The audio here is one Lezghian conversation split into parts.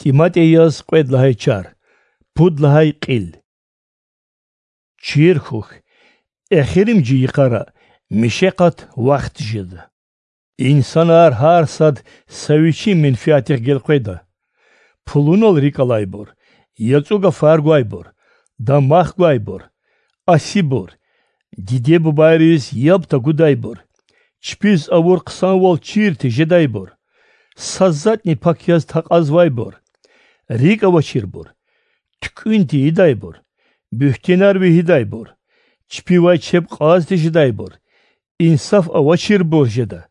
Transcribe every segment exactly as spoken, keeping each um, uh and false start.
ТӀиматӀи яз кьвед лагьай чар, пуд лагьай кьил. Чир хьухь, эхиримжи йикъара мишекъат вахт жеда. Инсанар гьар сад са вичин менфятдихъ гелкъведа. Пулунал рикӀ алайбур, яцӀу гафар гвайбур, дамах гвайбур, асибур, диде-бубайриз яб тагудайбур, чпиз авур хъсанвал чир тежедайбур, са затӀни пак яз такьазвайбур, рикӀ авачирбур, туькӀуьн тийидайбур, буьгьтенар вегьидайбур, чпивай чеб кьаз тежедайбур, инсаф авачирбур жеда.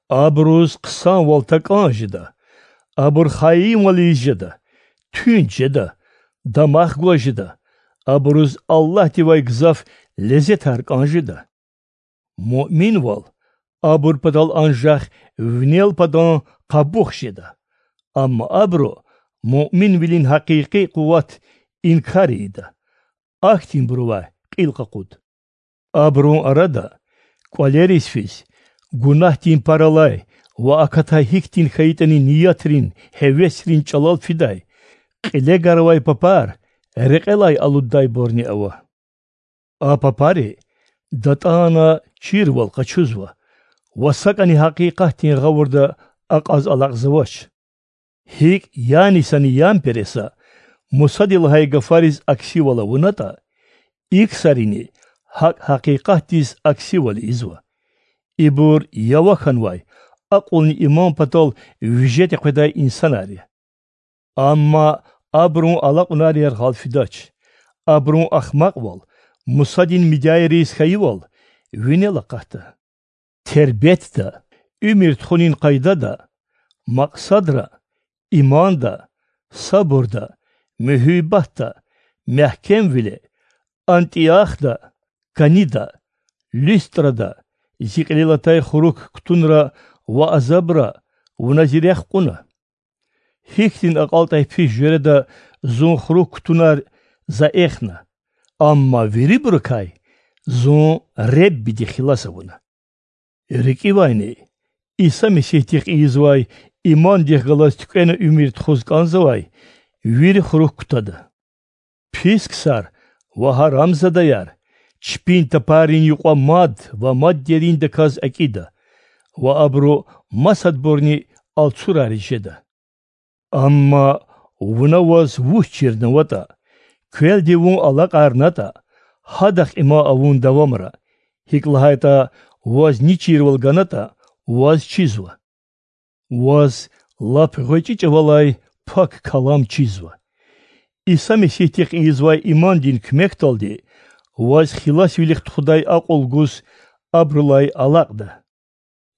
Абуруз хъсанвал такӀан жеда, абур хаинвал ийиз жеда, туьнт жеда, дамах гваз жеда, абуруз Аллагьдивай гзаф лезетар кӀан жеда. Муъминвал абур патал анжах винел падан къабух жеда, амма абуру муъминвилин гьакъикъи къуват инкар ийида. Ахьтинбурувай кьил къакъуд. Абурун арада кӀвалериз физ, гунагьдин пар алай ва акатай гьихьтин хьайитӀани ниятрин, гьевесрин чӀалал фидай, кьиле гарвай папар рекьелай алуддайбурни ава. А папари датӀана чирвал къачузва ва сакӀани гьакъикъатдин гъавурда акьаз алакьзавач. ГьикӀ Янисани Ямпереса Мусади лагьай гафариз аксивал авунатӀа, и ксарини гьакӀ гьакъикъатдиз аксивал ийизва. Ибур ява хьанвай, акьулни иман патал виже текъведай инсанар я. Амма абурун алакьунар яргъал фидач. Абурун ахмакьвал, Мусадин мидяйриз хьайивал винел акъатда. Тербетда, уьмуьр тухунин къайдада, макьсадра, иманда, сабурда, муьгьуьббатда, мягькемвиле, Антиохда, кӀанида, Листрада, зи кьилел атай хурук кутунра ва азабра вуна зи рехъ кьуна. Гьихьтин акьалтӀай пис жуьреда зун хурук кутунар за эхна, амма вирибурукай зун Реббиди хилас авуна. РикӀивайни, Иса Месигьдихъ ийизвай имандихъ галаз туькӀвена уьмуьр тухуз кӀанзавай вири хурук кутада. Пис ксар ва гьарамзадаяр чпин тапаррин юкьва мад ва мад дериндаказ акӀида ва абуру масадбурни алцурариз жеда. Амма вуна ваз вуч чирнаватӀа, квелди вун алакьарнатӀа, гьадахъ иман авун давамара, гьикӀ лагьайтӀа ваз ни чирвал ганатӀа, ваз чизва. Ваз лап гъвечӀи чӀавалай Пак Калам чизва. Иса Месигьдихъ ийизвай имандин куьмекдалди ваз хиласвилихъ тухудай акьул гуз абурулай алакьда.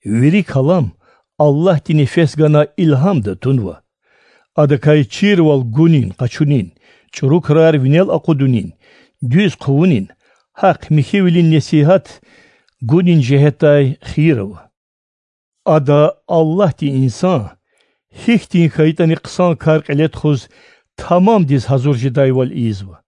Вири калам Аллагьди нефес гана илгьамда тунва. Адакай чирвал гунин, къачунин, чӀуру крар винел акъудунин, дуьз хъувунин, гьахъ-михьивилин несигьат гунин жигьетдай хийир ава. Ада Аллагьди инсан гьихьтин хьайитӀани хъсан кар кьиле тухуз тамамдиз гьазур жедайвал ийизва.